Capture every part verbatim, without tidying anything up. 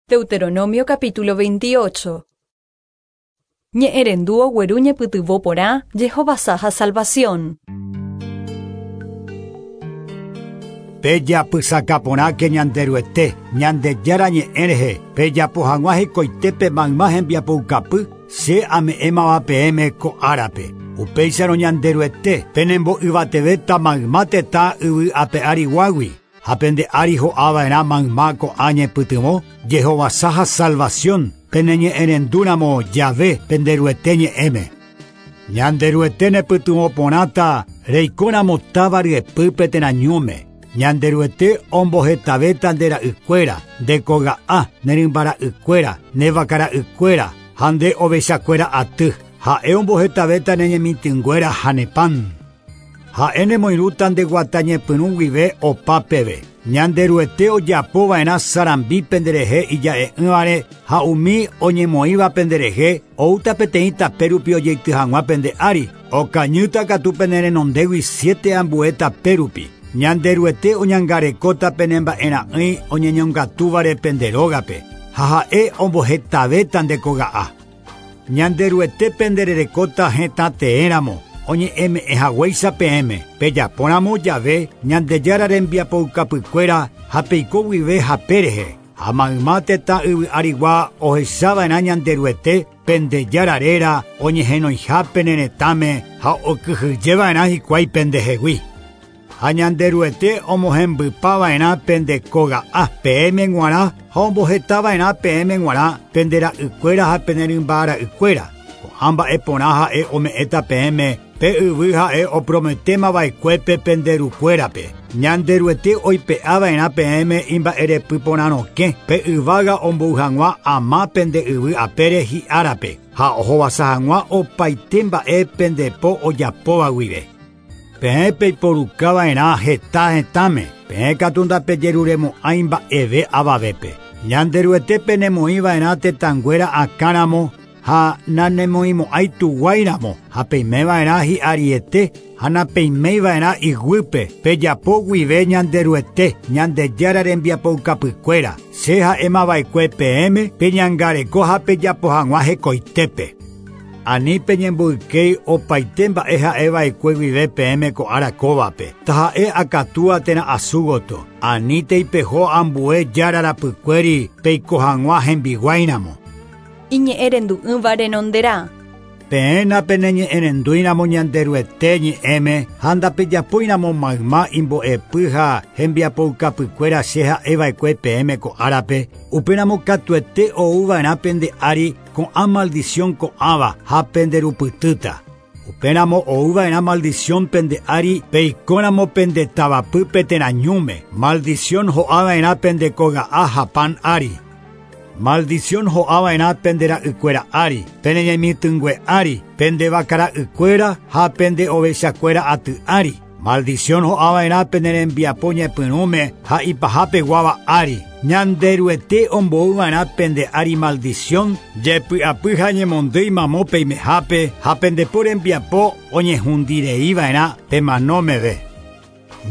Deuteronomio capítulo veintiocho. Ñe'ẽrendu ogueru ñepytyvõ porã jehovasa ha salvación. Pejapysaka porãke Ñanderuete, Ñandejára ñe'ẽ rehe, pejapo hag̃ua hekoitépe mayma hembiapoukapy che ame'ẽmava peẽme ko árape. Upéicharõ Ñanderuete penembo'yvatevéta mayma tetã yvy ape ariguágui ha pende ári ho'ava'erã mayma ko'ã ñepytyvõ jehovasa ha salvación peneñe'ẽrendúramo jave Penderuete ñe'ẽme. Ñanderuete nepytyvõ porãta reikóramo táva ryepýpe térã ñúme. Ñanderuete ombohetavéta nde ra'ykuéra, nde koga'a, ne rymbara'ykuéra, ne vakara'ykuéra ha nde ovechakuéra aty. Ha'e ombohetavéta ne ñemitỹnguéra ha ne pan. Ha'e nemoirũta nde guata ñepyrũ guive opa peve. Ñanderuete ojapova'erã sarambi penderehe ija'e'ỹvare ha umi oñemoĩva penderehe oúta peteĩ tape rupi ojeity hag̃ua pende ári. Okañýta katu pene renondégui siete ambue tape rupi. Ñanderuete oñangarekóta pene mba'era'ỹi oñeñongatúvare pende rógape ha ha'e ombohetavéta nde koga'a. Ñanderuete pendererekóta hetã teéramo oñe'ẽme'ẽ haguéicha peẽme. Pejapóramo jave Ñandejára rembiapoukapykuéra ha peiko guive hape rehe. Ha mayma tetã yvy arigua ohechava'erã Ñanderuete Pendejára réra oñehenoiha pene retãme ha okyhyjeva'erã hikuái pendehegui. Ha Ñanderuete omohembypava'erã pende koga'a peẽme g̃uarã ha ombohetava'erã peẽme g̃uarã pende ra'ykuéra ha pene rymbara'ykuéra. Ko'ã mba'e porã ha'e ome'ẽta peẽme pe yvy ha'e oprometémava'ekuépe pende rukuérape. Ñanderuete oipe'ava'erã peẽme imba'erepy porãrokẽ pe yvága ombou hag̃ua ama pende yvy apére hi'árape ha ohovasa hag̃ua opaite mba'e pende po ojapóva guive. Peẽ peiporukava'erã heta hetãme, peẽ katu ndapejeruremo'ãi mba'eve avavépe. Ñanderuete penemoĩva'erã tetãnguéra akãramo ha nanemoĩmo'ãi tuguáiramo ha peimeva'erã hi'ariete ha napeimeiva'erã iguýpe pejapo guive Ñanderuete Ñandejára rembiapoukapykuéra. Che ha'émava'ekue peẽme peñangareko ha pejapo hag̃ua hekoitépe. Ani peñemboykéi opaite mba'e ha'eva'ekue guive peẽme ko ára kóvape. Taha'e akatúa térã asúgoto. Ani teipeho ambue jára rapykuéri peiko hag̃ua hembiguáiramo. Iñe'ẽrendu'ỹva renonderã. Peẽ napeneñe'ẽrendúiramo Ñanderuete ñe'ẽme ha ndapejapóiramo mayma imbo'epy ha hembiapoukapykuéra che ha'eva'ekue peẽme ko árape, upéramo katuete ouva'erã pende ári ko'ã maldición ko'ãva ha penderupytýta. Upéramo ouva'erã maldición pende ári peikóramo pende tavapýpe térã ñúme. Maldición ho'ava'erã pende koga'a ha pan ári. Maldición ho'ava'erã pende ra'ykuéra ári, pene ñemitỹngue ári, pende vakara'ykuéra ha pende ovechakuéra aty ári. Maldición ho'ava'erã pene rembiapo ñepyrũme ha ipahápeguáva ári. Ñanderuete ombouva'erã pende ári maldición, jepy'apy ha ñemondýi mamo peimehápe ha pendepo rembiapo oñehundireiva'erã pemanómeve.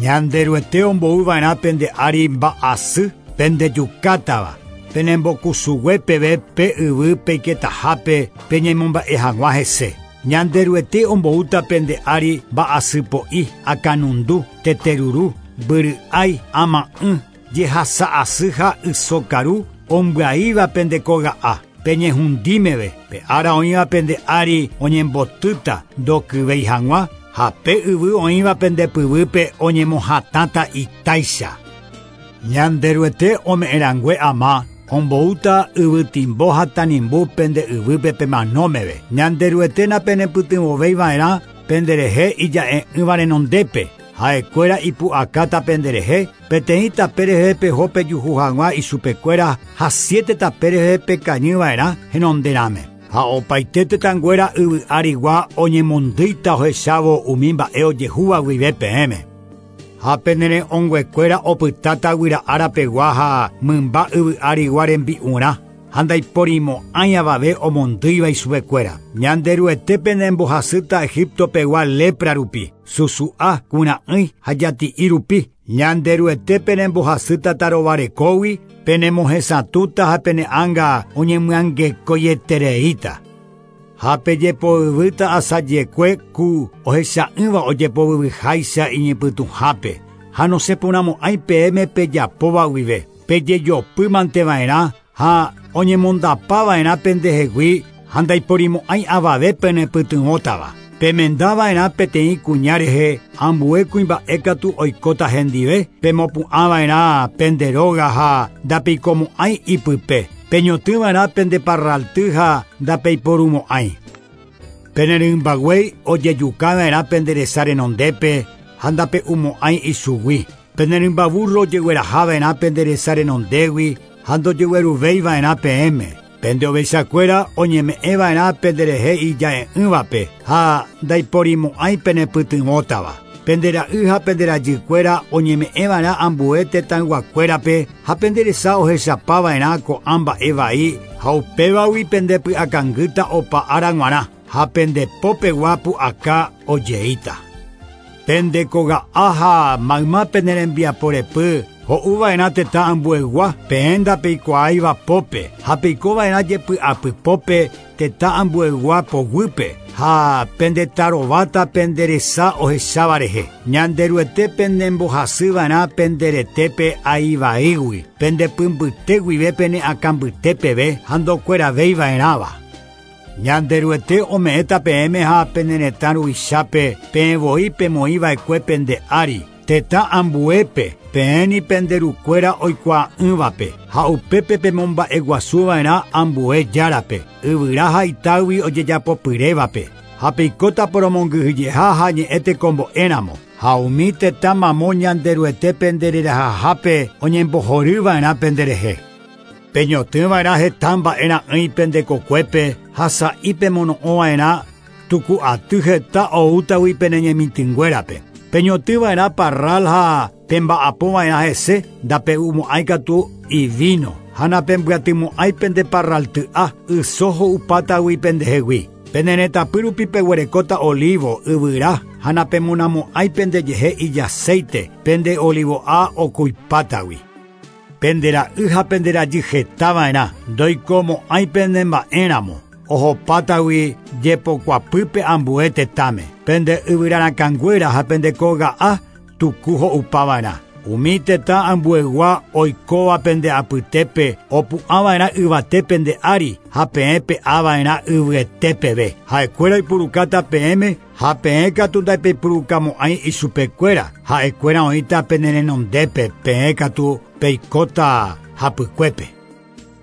Ñanderuete ombouva'erã pende ári mba'asy pendejukátava. Penembokusugue peve pe yvy peiketahápe peñemomba'e hag̃ua hese. Ñanderuete omboúta pende ári mba'asypo'i, akãnundu, teteruru, mbyry'ái, ama'ỹ, jehasa'asy ha ysokaru ombyaíva pende koga'a. Peñehundímeve, pe ára oĩva pende ári oñembotýta ndokyvéi hag̃ua ha pe yvy oĩva pende pyvýpe oñemohatãta itáicha. Ñanderuete ome'ẽrangue ama omboúta yvytimbo ha tanimbu pende yvýpe pemanómeve. Ñanderuete napenepytyvõveiva'erã penderehe ija'e'ỹva renondépe. Ha'ekuéra ipu'akáta penderehe, peteĩ tape rehe peho pejuhu hag̃ua ichupekuéra ha siete tape rehe pekañyva'erã henonderãme. Ha opaite tetãnguéra yvy arigua oñemondýita ohechávo umi mba'e ojehúva guive peẽme. Ha penere'õnguekuéra opytáta guyra árapegua ha mymba yvy arigua rembi'urã. ha ndaiporimo'ãi avave omondýiva ichupekuéra. Ñanderuete penembohasýta Egipto pegua lepra rupi, susu'a, kura'ỹi ha jati'i rupi. Ñanderuete penembohasýta tarovarekógui, penemohesatũta ha pene'ãnga oñemyangekoietereíta. Ha pejepoyvýta asajekue ku ohecha'ỹva ojepovyvyháicha iñepytũhápe. Ha nosẽporãmo'ãi peẽme pejapóva guive. Pejejopýmanteva'erã ha oñemondapava'erã pendehegui ha ndaiporimo'ãi avave penepytyvõtava. Pemendava'erã peteĩ kuña rehe ambue kuimba'e katu oikóta hendive, pemopu'ãva'erã pende róga ha ndapeikomo'ãi ipype. Peñotỹva'erã pende parralty ha ndapeiporumo'ãi. Penerymbaguéi ojejukava'erã pende resa renondépe ha ndape'umo'ãi ichugui. Penerymbaburro ojeguerahava'erã pende resa renondégui ha ndojegueruvéiva'erã peẽme. Pende ovechakuéra oñeme'ẽva'erã penderehe ija'e'ỹvape ha ndaiporimo'ãi penepytyvõtava. Pende ra'y ha pende rajykuéra oñeme'ẽva'erã ambue tetãyguakuérape ha pende resa ohechapava'erã ko'ã mba'e vai ha upévagui pendepy'akangýta opa ára g̃uarã ha pendepópegua pu'aka ojeíta. Pende koga'a ha mayma pene rembiaporepy ho'uva'erã tetã ambuegua peẽ ndapeikuaáiva pópe ha peikova'erã jepy'apypópe tetã ambuegua poguýpe ha pendetarováta pende resa ohecháva rehe. Ñanderuete penembohasyva'erã pende retépe aivaígui, pendepymbyte guive pene akãmbyte peve ha ndokueravéiva'erãva. Ñanderuete ome'ẽta peẽme ha pene retã ruvichápe peẽ voi pemoĩva'ekue pende ári, tetã ambuépe peẽni pende rukuéra oikuaa'ỹvape ha upépe pemomba'eguasuva'erã ambue járape, yvyra ha itágui ojejapopyrévape ha peikóta poromongyhyjeha ha ñe'ẽ tekombo'éramo. Ha umi tetã mamo Ñanderuete pendererahahápe oñembohoryva'erã penderehe. Peñotỹva'erã heta mba'era'ỹi pende kokuépe ha sa'i pemono'õva'erã tuku'aty heta oútagui pene ñemitỹnguérape. Peñotỹva'erã parral ha pemba'apóva'erã hese ndape'umo'ãi katu ivino ha napembyatymo'ãi pende parralty'a yso ho'upátagui pendehegui. Pene retãpy rupi peguerekóta olivo, yvyra ha napemonamo'ãi pendejehe ijaceite pende olivo'a okuipátagui. Pende ra'y ha pende rajy hetava'erã ndoikomo'ãi pende mba'éramo ohopátagui jepokuapýpe ambue tetãme. Pende yvyrarakãnguéra ha pende koga'a tuku ho'upava'erã. Umi tetã ambuegua oikóva pende apytépe opu'ãva'erã yvate pende ári ha peẽ pe'ava'erã yvyete peve. Ha'ekuéra oipurukáta peẽme ha peẽ katu ndaipepurukamo'ãi ichupekuéra. Ha'ekuéra oĩta pene renondépe peẽ katu peikóta hapykuépe.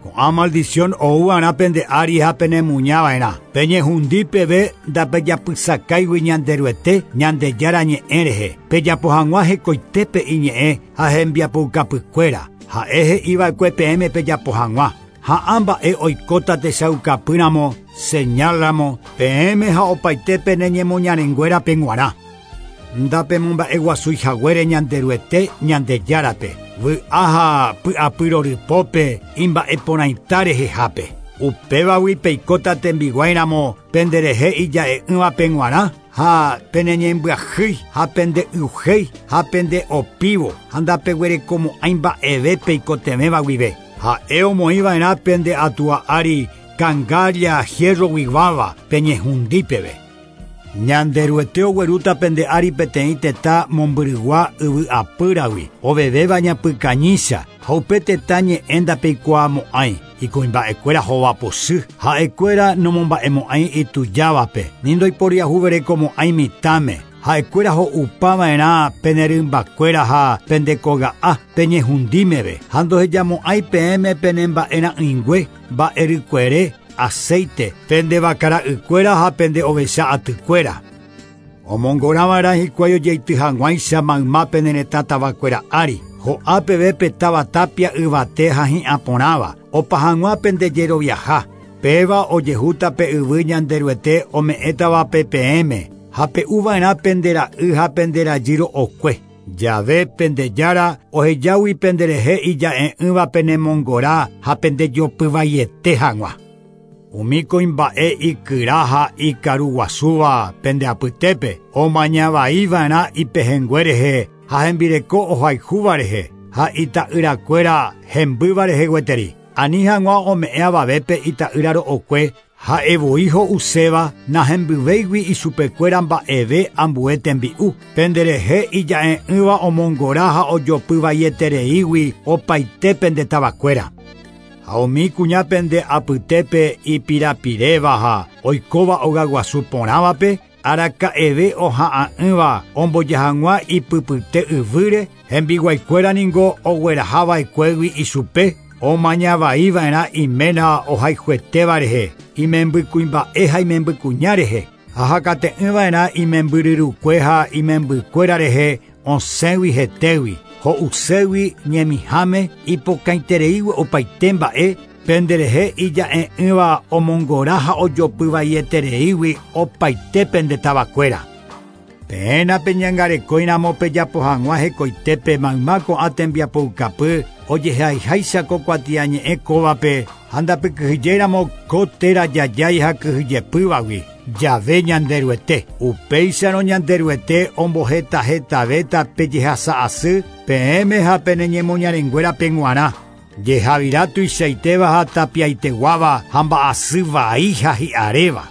Ko'ã maldición oúva'erã pende ári ha penemuñava'erã. Peñehundi peve ndapejapysakáigui Ñanderuete Ñandejára ñe'ẽ rehe. Pejapo hag̃ua hekoitépe iñe'ẽ ha hembiapoukapykuéra. Ha'e he'iva'ekue peẽme pejapo hag̃ua. Ha ã mba'e oikóta techaukapýramo, señálramo, peẽme ha opaite pene ñemoñarenguérape g̃uarã. Ndapemomba'eguasuihaguére Ñanderuete Ñandejárape. Vy'a ha py'apyrorypópe imba'eporãita rehehápe. Upévagui peikóta tembiguáiramo penderehe ija'e'ỹvape g̃uarã ha peneñembyahýi ha pende'yuhéi ha pende'opívo ha ndapeguerekomo'ãi mba'eve peikotevẽva guive. Ha'e omoĩva'erã pende atua ári kangálla hierroguiguáva peñehundípeve. Ñanderuete oguerúta pende ári peteĩ tetã mombyrygua yvy'apýragui ovevéva ñapykañícha ha upe tetã ñe'ẽ ndapeikuaamo'ãi ikuimba'ekuéra hovapochy ha'ekuéra nomomba'emo'ãi itujávape ni ndoiporiahuverekomo'ãi mitãme. Ha'ekuéra ho'upava'erã pene rymbakuéra ha pende koga'a peñehundímeve ha ndohejamo'ãi peẽme pene mba'era'ỹingue mba'erykuere aceite pende vakara'ykuéra ha pende ovecha atykuéra. Omongoráva'erã hikuái ojeity hag̃uáicha mayma pene retã tavakuéra ári. Ho'a peve pe táva tapia yvate ha hi'ãporãva opa hag̃ua pende jeroviaha. Péva ojehúta pe yvy Ñanderuete ome'ẽtavape peẽme ha pe'uva'erã pende ra'y ha pende rajy ro'okue. Yahvé pendejara ohejágui penderehe ija'e'ỹva penemongora ha pendejopyvaiete hag̃ua. Umi kuimba'e ikyra ha ikaruguasúva pende apytépe omañavaiva'erã ipehẽngue rehe ha hembireko ohayhúva rehe ha ita'yrakuéra hembýva rehe gueteri. Ani hag̃ua ome'ẽ avavépe ita'ýra ro'okue ha'evoi ho'uséva nahembyvéigui ichupekuéra mba'eve ambue tembi'u. Penderehe ija'e'ỹva omongora ha ojopyvaietereígui opaite pende tavakuéra. Ha umi kuña pende apytépe ipirapiréva ha oikóva ogaguasu porãvape araka'eve oha'ã'ỹva omboja hag̃ua ipypyte yvýre hembiguaikuéra ningo oguerahava'ekuégui ichupe omañavaiva'erã iména ohayhuetéva rehe imembykuimba'e ha imembykuña rehe ha hakate'ỹva'erã imembyryrukue ha imembykuéra rehe osẽgui hetégui ho'uségui ñemiháme ipokãitereígui opaite mba'e penderehe ija'e'ỹva omongora ha ojopyvaietereígui opaite pende tavakuéra. Peẽna peñangarekóiramo pejapo hag̃ua hekoitépe mayma ko'ã tembiapoukapy ojehaiháicha ko kuatiañe'ẽ kóvape ha ndapykyhyjéramo ko téra jajái ha kyhyjepývagui Yahvé Ñanderuete. Upéicharõ Ñanderuete ombohetahetavéta pejehasa'asy peẽme ha peneñemoñarenguérape g̃uarã. Jehavira tuichaitéva ha tapiaiteguáva ha mba'asy vai ha hi'aréva.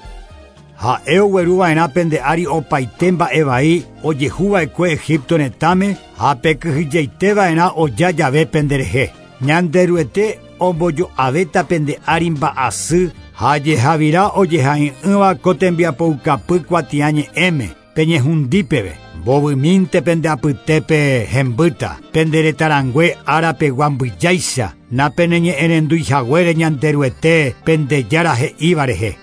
Ha'e ogueruva'erã pende ári opaite mba'evai ojehuva'ekue Egipto retãme ha pekyhyjeiteva'erã oja jave penderehe. Ñanderuete ombojo'avéta pende ári mba'asy ha jehavira ojehai'ỹva ko tembiapoukapy kuatiañe'ẽme peñehundípeve. Mbovymínte pende apytépe hembýta pende retãrangue árapegua mbyjáicha napeneñe'ẽrenduihaguére Ñanderuete pendejára he'íva rehe.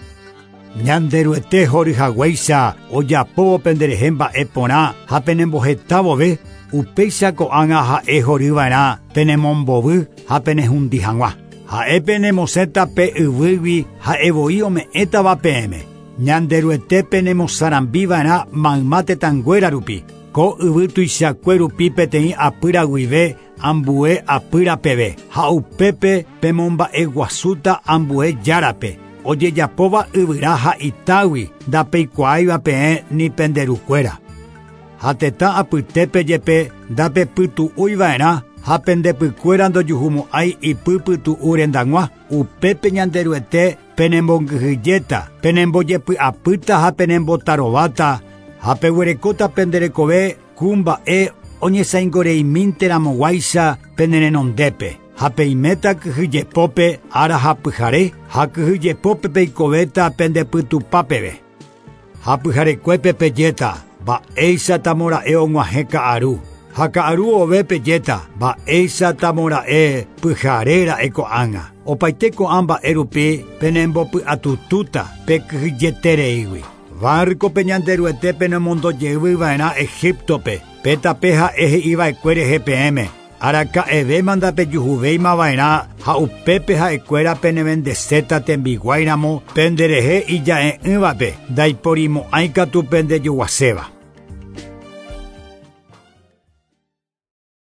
Ñanderuete horyhaguéicha ojapóvo penderehe mba'e porã ha penembohetávove upéicha ko'ág̃a ha'e horyva'erã penemombovy ha penehundi hag̃ua. Ha'e penemosẽta pe yvýgui ha'evoi ome'ẽtava peẽme. Ñanderuete penemosarambiva'erã mayma tetãnguéra rupi. Ko yvy tuichakue rupi peteĩ apýra guive ambue apýra peve. Ha upépe pemomba'eguasúta ambue járape. Ojejapóva yvyra ha itágui ndapeikuaáiva peẽ ni penderukuéra. Ha tetã apytépe jepe ndapepytu'úiva'erã ha pendepykuéra ndojuhumo'ãi ipypytu'u rendag̃ua. Upépe Ñanderuete penemongyhyjéta, penembojepy'apýta ha penembotarováta ha peguerekóta penderekove ku mba'e oñesãingoreimínteramoguáicha penerenondépe. Ha peiméta kyhyjepópe ára ha pyhare ha kyhyjepópe peikovéta pendepytupápeve. Ha pyharekuépe pejéta mba'éichatamora'e og̃uahẽ ka'aru. Ha ka'aru ove pejéta mba'éichatamora'e pyharéra'e ko'ág̃a. Opaite ko'ã mba'e rupi penembopy'atutúta pekyhyjetereígui. Várkope Ñanderuete penemondojeyvyva'erã Egiptope pe tape ha'e he'iva'ekue rehe peẽme. Araka'evéma ndapejuhuvéimava'erã ha upépe ha'ekuéra penevendeséta tembiguáiramo penderehe ija'e'ỹvape ndaiporimo'ãikatu pendejoguaséva.